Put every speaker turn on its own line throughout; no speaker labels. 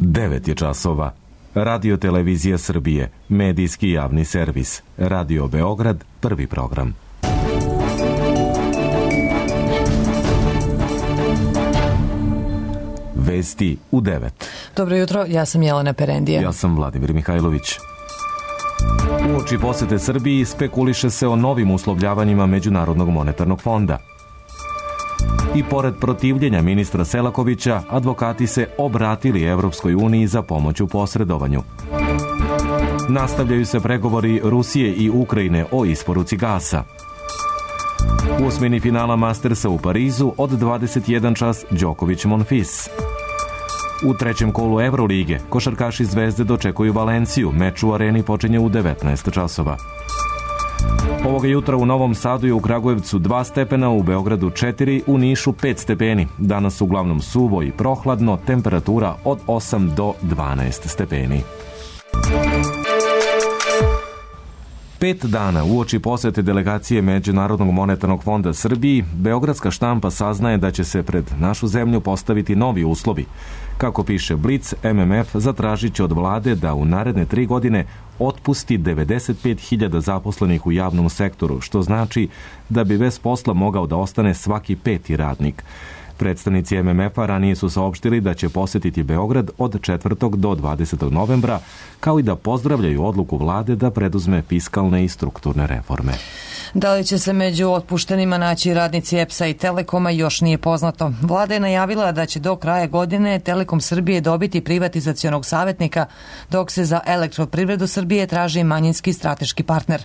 9 je časova. Radio Televizija Srbije, medijski javni servis. Radio Beograd, prvi program. Vesti u 9.
Dobro jutro, ja sam Jelena Perendija.
Ja sam Vladimir Mihajlović. Uoči posete Srbiji spekuliše se o novim uslovljavanjima Međunarodnog monetarnog fonda. I pored protivljenja ministra Selakovića, advokati se obratili Evropskoj uniji za pomoć u posredovanju. Nastavljaju se pregovori Rusije i Ukrajine o isporuci gasa. U osmini finala Mastersa u Parizu od 21 čas Đoković-Monfils. U trećem kolu Evrolige košarkaši Zvezde dočekuju Valenciju. Meč u areni počinje u 19 časova. Ovoga jutra u Novom Sadu i u Kragujevcu 2 stepena, u Beogradu 4, u Nišu 5 stepeni. Danas uglavnom suvo i prohladno, temperatura od 8 do 12 stepeni. 5 dana uoči posete delegacije Međunarodnog monetarnog fonda Srbiji, beogradska štampa saznaje da će se pred našu zemlju postaviti novi uslovi. Kako piše Blic, MMF zatražit će od vlade da u naredne 3 godine otpusti 95.000 zaposlenih u javnom sektoru, što znači da bi bez posla mogao da ostane svaki 5. radnik. Predstavnici MMF-a ranije su saopštili da će posetiti Beograd od 4. do 20. novembra, kao i da pozdravljaju odluku vlade da preduzme fiskalne i strukturne reforme.
Da li će se među otpuštenima naći radnici EPS-a i Telekoma još nije poznato. Vlada je najavila da će do kraja godine Telekom Srbije dobiti privatizacionog savjetnika, dok se za Elektroprivredu Srbije traži manjinski strateški partner.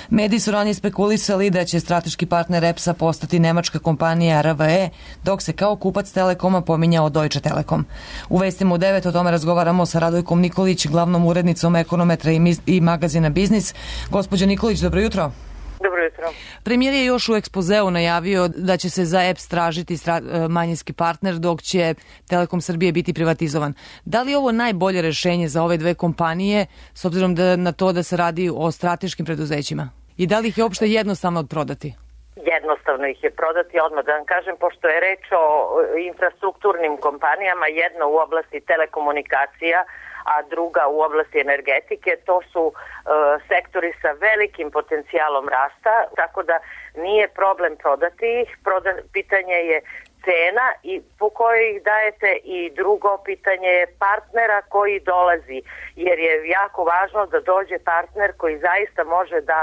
Mediji su ranije spekulisali da će strateški partner EPS-a postati nemačka kompanija RWE, dok se kao kupac Telekoma pominjao Deutsche Telekom. U vestima u 9 o tome razgovaramo sa Radojkom Nikolić, glavnom urednicom Ekonometra i magazina Biznis. Gospođo Nikolić, dobro jutro.
Dobro jutro.
Premijer je još u ekspozeu najavio da će se za EPS tražiti manjinski partner, dok će Telekom Srbije biti privatizovan. Da li je ovo najbolje rešenje za ove dve kompanije, s obzirom na to da se radi o strateškim preduzećima? I da li ih je uopšte jednostavno odprodati?
Jednostavno ih je prodati, odmah da vam kažem, pošto je reč o infrastrukturnim kompanijama, jedna u oblasti telekomunikacija, a druga u oblasti energetike. To su sektori sa velikim potencijalom rasta, tako da nije problem prodati ih. Pitanje je cena i po kojoj ih dajete, i drugo pitanje je partnera koji dolazi, jer je jako važno da dođe partner koji zaista može da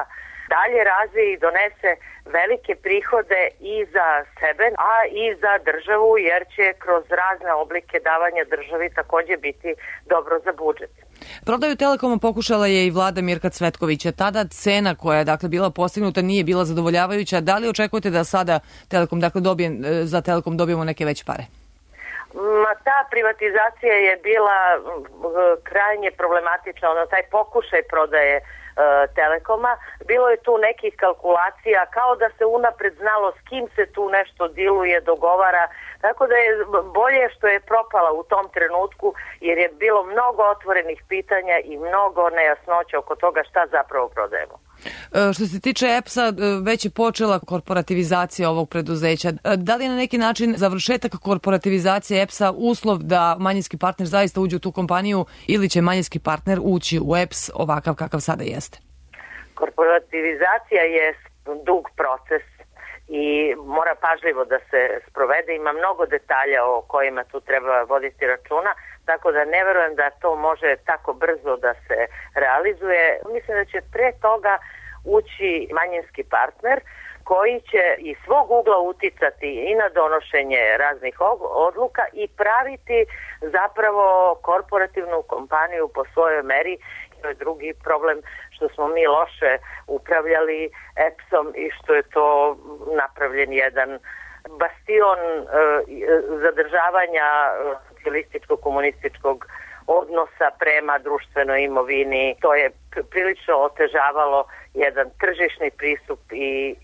dalje razvije i donese velike prihode i za sebe, a i za državu, jer će kroz razne oblike davanja državi takođe biti dobro za budžet.
Prodaju Telekoma pokušala je i vlada Mirka Cvetkovića. Tada cena koja je bila postignuta nije bila zadovoljavajuća. Da li očekujete da sada Telekom za Telekom dobijemo neke veće pare?
Ta privatizacija je bila krajnje problematična, taj pokušaj prodaje Telekoma. Bilo je tu nekih kalkulacija, kao da se unapred znalo s kim se tu nešto diluje, dogovara, tako da je bolje što je propala u tom trenutku, jer je bilo mnogo otvorenih pitanja i mnogo nejasnoća oko toga šta zapravo prodajemo.
Što se tiče EPS-a, već je počela korporativizacija ovog preduzeća. Da li je na neki način završetak korporativizacije EPS-a uslov da manjinski partner zaista uđe u tu kompaniju, ili će manjinski partner ući u EPS ovakav kakav sada jeste?
Korporativizacija je dug proces i mora pažljivo da se sprovede. Ima mnogo detalja o kojima tu treba voditi računa, tako da ne verujem da to može tako brzo da se realizuje. Mislim da će pre toga ući manjinski partner koji će iz svog ugla uticati i na donošenje raznih odluka i praviti zapravo korporativnu kompaniju po svojoj meri. To je drugi problem, što smo mi loše upravljali EPS-om i što je to napravljen jedan bastion zadržavanja socijalističko-komunističkog odnosa prema društvenoj imovini. To je prilično otežavalo jedan tržišni pristup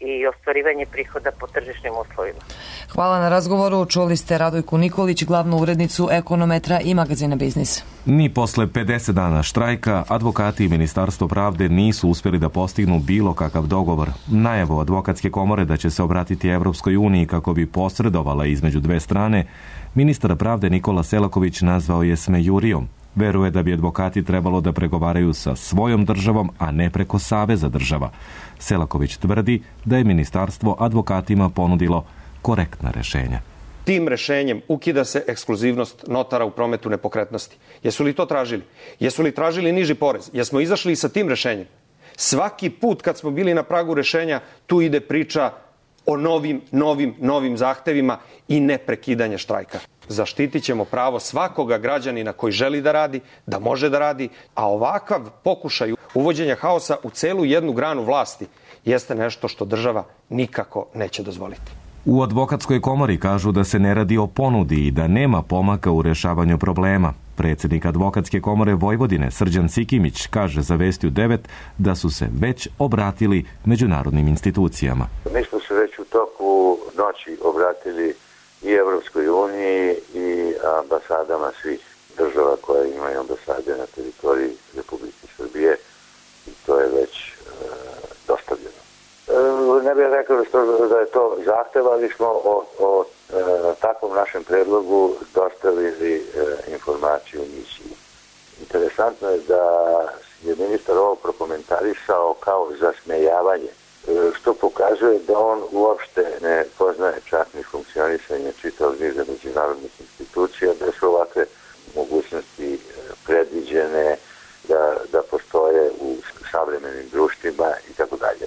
i ostvarivanje prihoda po tržišnim uslovima.
Hvala na razgovoru. Čuli ste Radojku Nikolić, glavnu urednicu Ekonometra i magazina Biznis.
Ni posle 50 dana štrajka, advokati i Ministarstvo pravde nisu uspjeli da postignu bilo kakav dogovor. Najavu advokatske komore da će se obratiti Evropskoj uniji kako bi posredovala između dve strane, ministar pravde Nikola Selaković nazvao je smejurijom. Veruje da bi advokati trebalo da pregovaraju sa svojom državom, a ne preko saveza država. Selaković tvrdi da je ministarstvo advokatima ponudilo korektna rešenja.
Tim rešenjem ukida se ekskluzivnost notara u prometu nepokretnosti. Jesu li to tražili? Jesu li tražili niži porez? Jesmo izašli i sa tim rešenjem? Svaki put kad smo bili na pragu rešenja, tu ide priča o novim zahtevima i neprekidanje štrajka. Zaštitit ćemo pravo svakoga građanina koji želi da radi, da može da radi, a ovakav pokušaj uvođenja haosa u celu jednu granu vlasti jeste nešto što država nikako neće dozvoliti.
U advokatskoj komori kažu da se ne radi o ponudi i da nema pomaka u rešavanju problema. Predsjednik advokatske komore Vojvodine Srđan Sikimić kaže za Vesti u 9 da su se već obratili međunarodnim institucijama.
Mi smo se već u toku noći obratili i Evropskoj uniji i ambasadama svih država koje imaju ambasade na teritoriji Republike Srbije i to je već dostavljeno. Ne bih rekao da je to zahtev, ali smo o takvom našem predlogu dostavili informaciju misiji. Interesantno je da je ministar ovo prokomentarisao kao zasmejavanje, što pokazuje da on uopšte ne poznaje čak ni funkcionisanje čitavog niza međunarodnih institucija, da su ovakve mogućnosti predviđene, da postoje u savremenim društvima i tako dalje.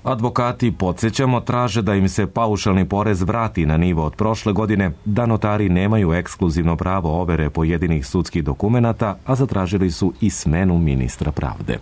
Advokati, podsjećamo, traže da im se paušalni porez vrati na nivo od prošle godine, da notari nemaju ekskluzivno pravo overe pojedinih sudskih dokumenata, a zatražili su i smenu ministra pravde.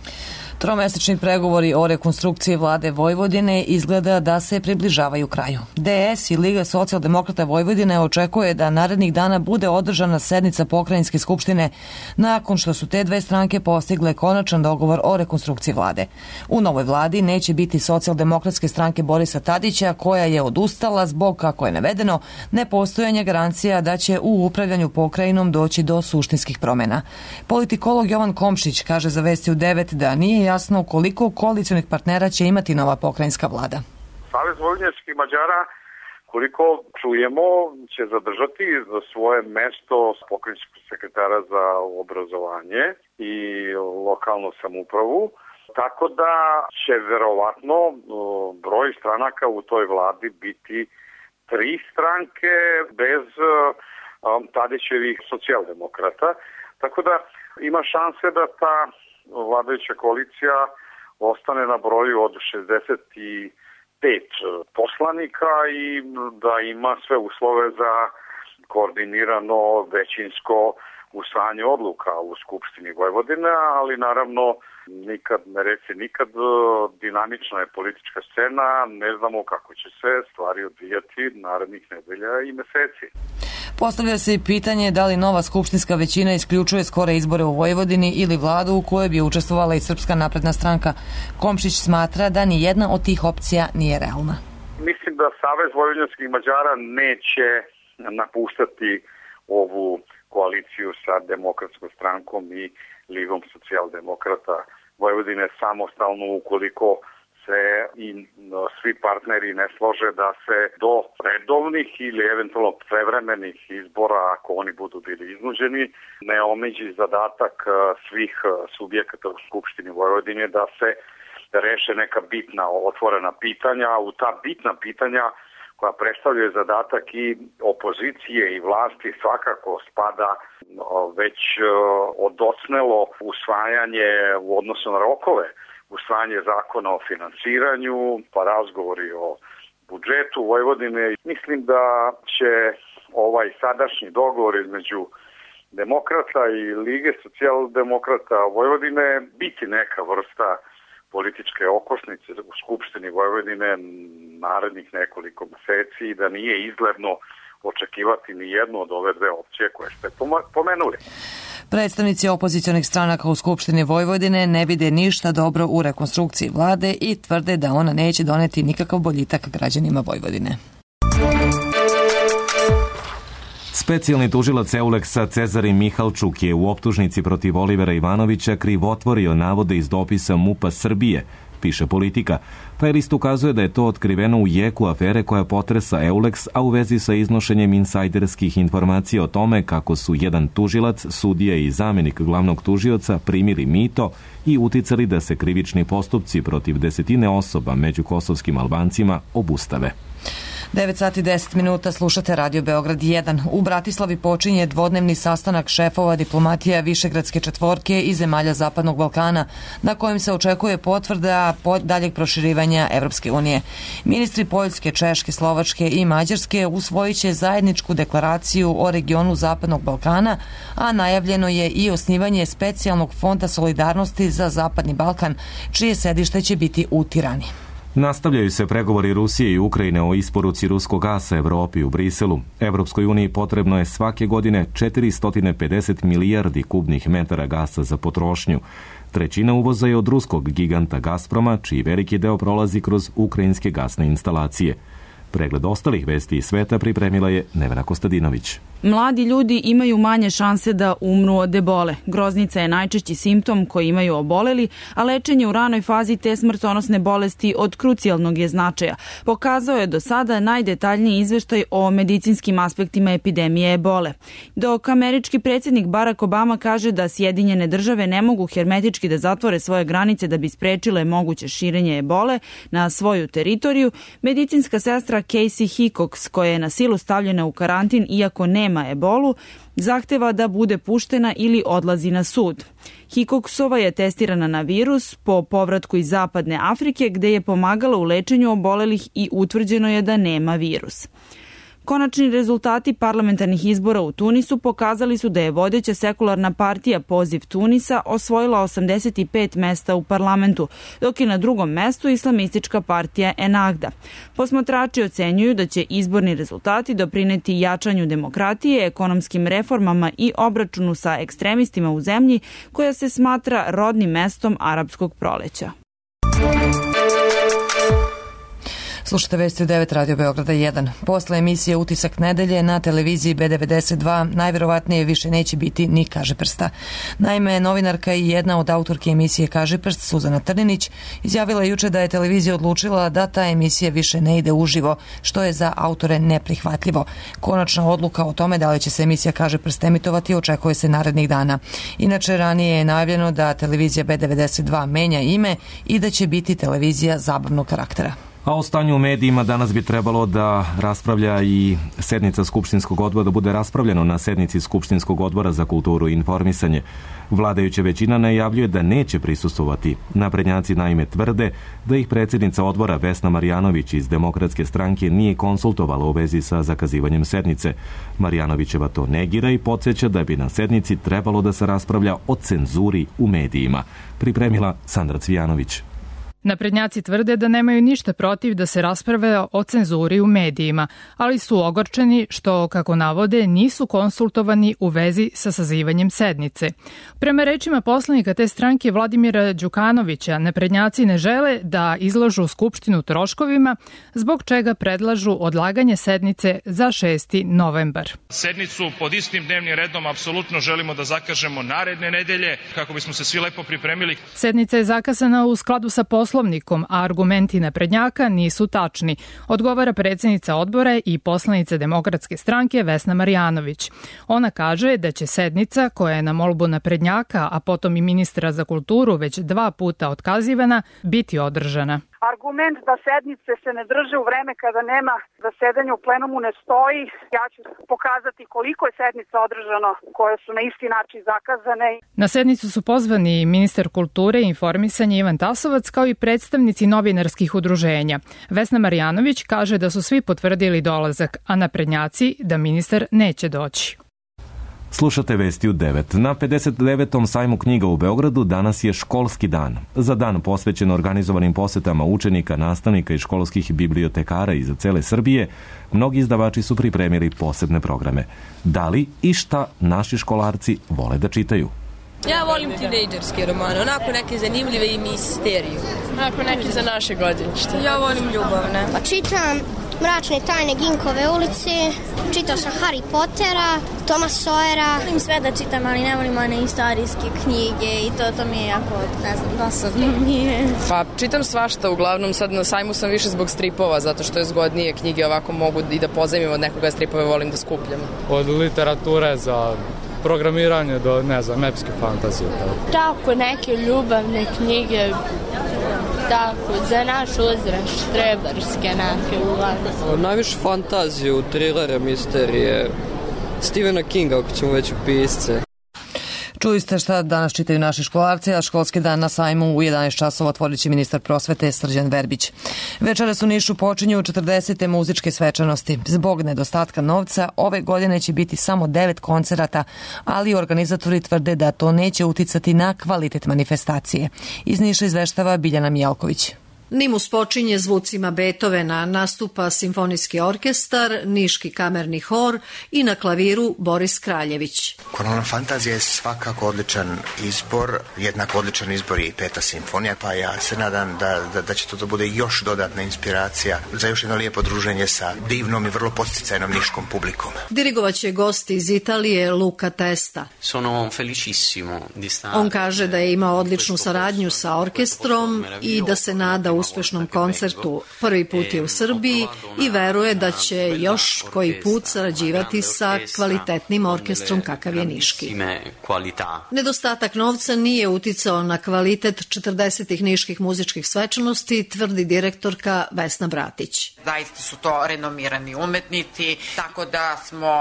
Tromesečni pregovori o rekonstrukciji vlade Vojvodine izgleda da se približavaju kraju. DS i Liga socijaldemokrata Vojvodine očekuje da narednih dana bude održana sednica pokrajinske skupštine nakon što su te dve stranke postigle konačan dogovor o rekonstrukciji vlade. U novoj vladi neće biti socijaldemokratske stranke Borisa Tadića, koja je odustala zbog, kako je navedeno, nepostojanja garancija da će u upravljanju pokrajinom doći do suštinskih promjena. Politikolog Jovan Komšić kaže za Vesti u 9 da nije jasno koliko koalicionih partnera će imati nova pokrajinska vlada.
Savez vojvođanskih Mađara, koliko čujemo, će zadržati svoje mesto pokrajinskog sekretara za obrazovanje i lokalnu samoupravu, tako da će verovatno broj stranaka u toj vladi biti 3 stranke bez Tadićevih socijaldemokrata, tako da ima šanse da ta vladajuća koalicija ostane na broju od 65 poslanika i da ima sve uslove za koordinirano većinsko usvajanje odluka u Skupštini Vojvodine, ali naravno nikad ne reci nikad, dinamična je politička scena, ne znamo kako će se stvari odvijati narednih nedelja i meseci.
Postavlja se i pitanje da li nova skupštinska većina isključuje skore izbore u Vojvodini ili vladu u kojoj bi učestvovala i Srpska napredna stranka. Komšić smatra da ni jedna od tih opcija nije realna.
Mislim da Savez vojvođanskih Mađara neće napuštati ovu koaliciju sa Demokratskom strankom i Ligom socijaldemokrata Vojvodine samostalno ukoliko se i svi partneri ne slože da se do redovnih ili eventualno prevremenih izbora, ako oni budu bili iznuđeni, ne omeđi zadatak svih subjekata u Skupštini Vojvodine da se reše neka bitna otvorena pitanja. U ta bitna pitanja koja predstavljaju zadatak i opozicije i vlasti svakako spada već odocnelo usvajanje u odnosu na rokove, usvajanje zakona o finansiranju, pa razgovori o budžetu Vojvodine. Mislim da će ovaj sadašnji dogovor između demokrata i Lige socijaldemokrata Vojvodine biti neka vrsta političke okosnice u Skupštini Vojvodine narednih nekoliko meseci i da nije izgledno očekivati ni jednu od ove dve opcije koje ste pomenuli.
Predstavnici opozicionih stranaka u Skupštini Vojvodine ne vide ništa dobro u rekonstrukciji vlade i tvrde da ona neće doneti nikakav boljitak građanima Vojvodine.
Specijalni tužilac Euleksa Cezarin Mihalčuk je u optužnici protiv Olivera Ivanovića krivotvorio navode iz dopisa MUP-a Srbije, piše Politika. Taj list ukazuje da je to otkriveno u jeku afere koja potresa Euleks, a u vezi sa iznošenjem insajderskih informacija o tome kako su jedan tužilac, sudija i zamenik glavnog tužioca primili mito i uticali da se krivični postupci protiv desetine osoba među kosovskim Albancima obustave.
9 sati 10 minuta, slušate Radio Beograd 1. U Bratislavi počinje dvodnevni sastanak šefova diplomatija Višegradske četvorke i zemalja Zapadnog Balkana, na kojem se očekuje potvrda daljeg proširivanja Evropske unije. Ministri Poljske, Češke, Slovačke i Mađarske usvojit će zajedničku deklaraciju o regionu Zapadnog Balkana, a najavljeno je i osnivanje specijalnog fonda solidarnosti za Zapadni Balkan, čije sedište će biti u Tirani.
Nastavljaju se pregovori Rusije i Ukrajine o isporuci ruskog gasa Evropi u Briselu. Evropskoj uniji potrebno je svake godine 450 milijardi kubnih metara gasa za potrošnju. Trećina uvoza je od ruskog giganta Gazproma, čiji veliki deo prolazi kroz ukrajinske gasne instalacije. Pregled ostalih vesti iz sveta pripremila je Nevena Kostadinović.
Mladi ljudi imaju manje šanse da umru od ebole. Groznica je najčešći simptom koji imaju oboleli, a lečenje u ranoj fazi te smrtonosne bolesti od krucijalnog je značaja. Pokazao je do sada najdetaljniji izveštaj o medicinskim aspektima epidemije ebole. Dok američki predsjednik Barack Obama kaže da Sjedinjene države ne mogu hermetički da zatvore svoje granice da bi sprečile moguće širenje ebole na svoju teritoriju, medicinska sestra Casey Hickox, koja je na silu stavljena u karantin iako nema ebolu, zahteva da bude puštena ili odlazi na sud. Hickoxova je testirana na virus po povratku iz Zapadne Afrike, gde je pomagala u lečenju obolelih i utvrđeno je da nema virus. Konačni rezultati parlamentarnih izbora u Tunisu pokazali su da je vodeća sekularna partija Poziv Tunisa osvojila 85 mesta u parlamentu, dok je na drugom mestu islamistička partija Ennahda. Posmatrači ocenjuju da će izborni rezultati doprineti jačanju demokratije, ekonomskim reformama i obračunu sa ekstremistima u zemlji koja se smatra rodnim mestom arapskog proleća.
Slušate vesti u 9 Radio Beograda 1. Posle emisije Utisak nedelje na televiziji B92 najverovatnije više neće biti ni Kažeprsta. Naime, novinarka i jedna od autorki emisije Kažeprst, Suzana Trninić, izjavila juče da je televizija odlučila da ta emisija više ne ide uživo, što je za autore neprihvatljivo. Konačna odluka o tome da li će se emisija Kažeprst emitovati očekuje se narednih dana. Inače, ranije je najavljeno da televizija B92 menja ime i da će biti televizija zabavnog karaktera.
A o stanju u medijima danas bi trebalo da raspravlja i sednica Skupštinskog odbora, da bude raspravljeno na sednici Skupštinskog odbora za kulturu i informisanje. Vladajuća većina najavljuje da neće prisustvovati. Naprednjaci naime tvrde da ih predsjednica odbora Vesna Marjanović iz Demokratske stranke nije konsultovala u vezi sa zakazivanjem sednice. Marjanovićeva to negira i podsjeća da bi na sednici trebalo da se raspravlja o cenzuri u medijima. Pripremila Sandra Cvijanović.
Naprednjaci tvrde da nemaju ništa protiv da se raspravlja o cenzuri u medijima, ali su ogorčeni što, kako navode, nisu konsultovani u vezi sa sazivanjem sednice. Prema rečima poslanika te stranke Vladimira Đukanovića, naprednjaci ne žele da izlažu Skupštinu troškovima, zbog čega predlažu odlaganje sednice za 6. novembar.
Sednicu pod istim dnevnim redom apsolutno želimo da zakažemo naredne nedelje kako bismo se svi lepo pripremili.
Sednica je zakazana u skladu sa Poslovnikom, a argumenti naprednjaka nisu tačni, odgovara predsjednica odbora i poslanica Demokratske stranke Vesna Marjanović. Ona kaže da će sednica, koja je na molbu naprednjaka, a potom i ministra za kulturu već 2 puta otkazivana, biti održana.
Argument da sednice se ne drže u vreme kada nema zasedanja u plenumu ne stoji. Ja ću pokazati koliko je sednica održano koje su na isti način zakazane.
Na sednicu su pozvani ministar kulture i informisanja Ivan Tasovac kao i predstavnici novinarskih udruženja. Vesna Marjanović kaže da su svi potvrdili dolazak, a naprednjaci da ministar neće doći.
Slušate vesti u 9. Na 59. sajmu knjiga u Beogradu danas je školski dan. Za dan posvećen organizovanim posetama učenika, nastavnika i školskih bibliotekara iz cele Srbije, mnogi izdavači su pripremili posebne programe. Da li i šta naši školarci vole da čitaju?
Ja volim tinejdžerske romane, onako neke zanimljive i misteriju. Onako neke za naše godine.
Ja volim ljubavne.
Pa čitam
Mračne tajne Ginkove ulici, čitao sam Harry Pottera, Toma Sawyera.
Volim sve da čitam, ali ne volim one istorijske knjige i to mi je jako, ne znam, dosadno mi je.
Pa čitam svašta, uglavnom sad na sajmu sam više zbog stripova, zato što je zgodnije knjige, ovako mogu i da pozajmim od nekoga, stripove volim da skupljam.
Od literature za programiranje do, ne znam, epske fantazije.
Tako, neke ljubavne knjige, tako, za naš uzrast, štreberske neke uglavnom.
Najviše fantaziju, trilere, misterije, Stephena Kinga, ako ćemo već u pisce.
Čuli ste šta danas čitaju naši školarci, a školski dan na sajmu u 11 časova otvorit će ministar prosvete Srđan Verbić. Večeras u Nišu počinju 40. muzičke svečanosti. Zbog nedostatka novca, ove godine će biti samo 9 koncerata, ali organizatori tvrde da to neće uticati na kvalitet manifestacije. Iz Niša izveštava Biljana Mijalković.
Nimus počinje zvucima Beethovena, nastupa simfonijski orkestar, Niški kamerni hor i na klaviru Boris Kraljević.
Korona fantazija je svakako odličan izbor, jednako odličan izbor je i Peta simfonija, pa ja se nadam da će to da bude još dodatna inspiracija za još jedno lijepo druženje sa divnom i vrlo podsticajnom niškom publikom.
Dirigovaće gost iz Italije Luca Testa. On kaže da je imao odličnu saradnju sa orkestrom i da se nada uspešnom koncertu. Prvi put je u Srbiji i veruje da će još koji put sarađivati sa kvalitetnim orkestrom kakav je niški. Nedostatak novca nije uticao na kvalitet 40. niških muzičkih svečanosti, tvrdi direktorka Vesna Bratić.
Zaista su to renomirani umetnici, tako da smo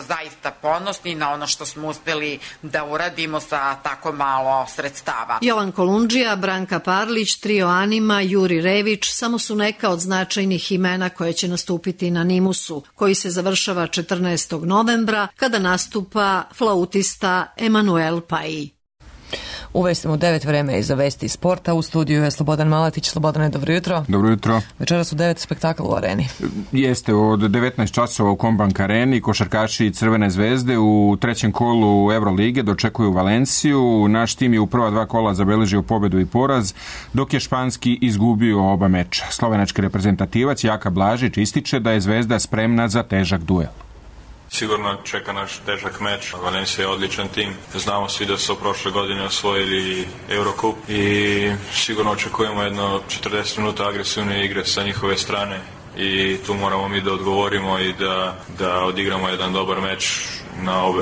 zaista ponosni na ono što smo uspeli da uradimo sa tako malo sredstava.
Jovan Kolundžija, Branka Parlić, Trio Anima, Juri Rević samo su neka od značajnih imena koje će nastupiti na Nimusu, koji se završava 14. novembra kada nastupa flautista Emanuel Paji.
U vestima u 9 vreme je za vesti sporta. U studiju je Slobodan Maletić. Slobodane, dobro jutro.
Dobro jutro.
Večeras su 9 spektakla u areni.
Jeste, od 19 časova u Kombank areni košarkaši Crvene zvezde u trećem kolu Evrolige dočekuju Valenciju. Naš tim je u prva 2 kola zabeležio pobedu i poraz, dok je španski izgubio oba meča. Slovenački reprezentativac Jaka Blažić ističe da je Zvezda spremna za težak duel.
Sigurno čeka naš težak meč. Valencija je odličan tim. Znamo svi da su prošle godine osvojili Eurocup i sigurno očekujemo jedno 40 minuta agresivne igre sa njihove strane i tu moramo mi da odgovorimo i da odigramo jedan dobar meč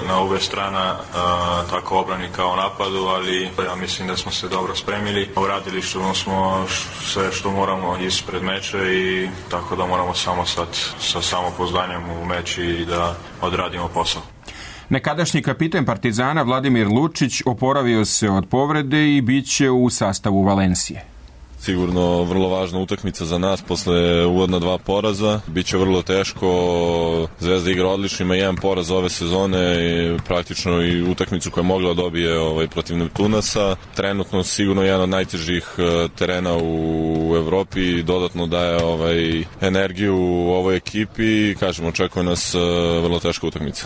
na obe strana, tako obrani kao napadu, ali ja mislim da smo se dobro spremili. Uradili smo sve što moramo ispred meča i tako da moramo samo sad sa samopouzdanjem u meč i da odradimo posao.
Nekadašnji kapiten Partizana Vladimir Lučić oporavio se od povrede i bit će u sastavu Valencije.
Sigurno vrlo važna utakmica za nas posle uvodna 2 poraza. Biće vrlo teško. Zvezda igra odlično, ima 1 poraz ove sezone i praktično i utakmicu koja je mogla dobije protiv Neptunasa. Trenutno sigurno jedan od najtežih terena u Evropi, dodatno daje energiju u ovoj ekipi. Kažemo, očekuje nas vrlo teška utakmica.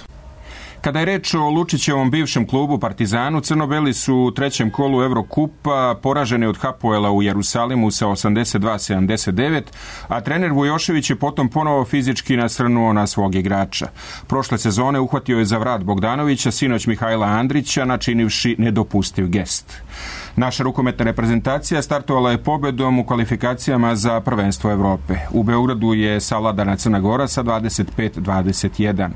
Kada je reč o Lučićevom bivšem klubu Partizanu, crno-beli su u trećem kolu Evrokupa poraženi od Hapoela u Jerusalimu sa 82-79, a trener Vujošević je potom ponovo fizički nasrnuo na svog igrača. Prošle sezone uhvatio je za vrat Bogdanovića, sinoć Mihajla Andrića, načinivši nedopustiv gest. Naša rukometna reprezentacija startovala je pobedom u kvalifikacijama za prvenstvo Evrope. U Beogradu je savladana Crna Gora sa 25-21.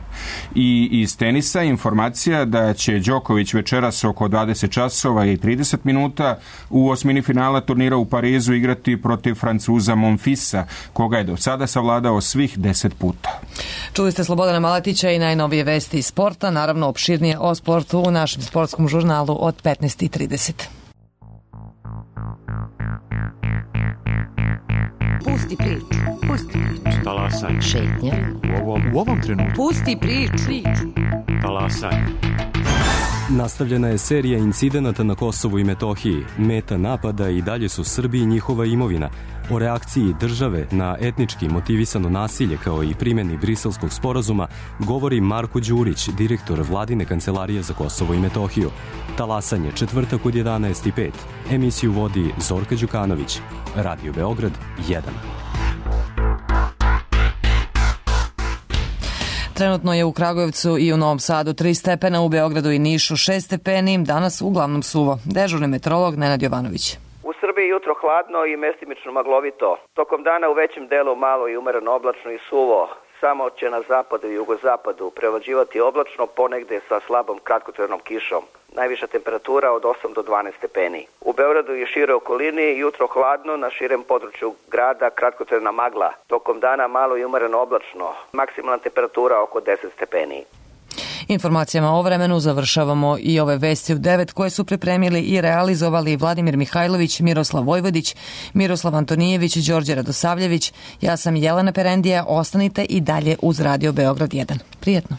I iz tenisa informacija da će Đoković večeras oko 20 časova i 30 minuta u osmini finala turnira u Parizu igrati protiv Francuza Monfisa, koga je do sada savladao svih 10 puta.
Čuli ste Slobodana Maletića i najnovije vesti iz sporta, naravno opširnije o sportu u našem sportskom žurnalu od 15:30.
Pusti priču. Talasaj.
Šetnja.
U ovom trenutku.
Pusti priču.
Talasaj. Nastavljena je serija incidenata na Kosovu i Metohiji. Meta napada i dalje su Srbi i njihova imovina. O reakciji države na etnički motivisano nasilje kao i primjeni Briselskog sporazuma govori Marko Đurić, direktor Vladine kancelarije za Kosovo i Metohiju. Talasanje, četvrtak od 11:05. Emisiju vodi Zorka Đukanović. Radio Beograd 1.
Trenutno je u Kragujevcu i u Novom Sadu 3 stepena, u Beogradu i Nišu 6 stepeni, danas uglavnom suvo. Dežurni meteorolog Nenad Jovanović.
U Srbiji jutro hladno i mestimično maglovito. Tokom dana u većem delu malo i umereno oblačno i suvo. Samo će na zapadu i jugozapadu prevlađivati oblačno, ponegde sa slabom kratkotrajnom kišom. Najviša temperatura od 8 do 12 stepeni. U Beogradu i šire okolini jutro hladno, na širem području grada kratkotrajna magla. Tokom dana malo i umereno oblačno. Maksimalna temperatura oko 10 stepeni.
Informacijama o vremenu završavamo i ove vesti u 9 koje su pripremili i realizovali Vladimir Mihajlović, Miroslav Vojvodić, Miroslav Antonijević, Đorđe Radosavljević. Ja sam Jelena Perendija, ostanite i dalje uz Radio Beograd 1. Prijetno.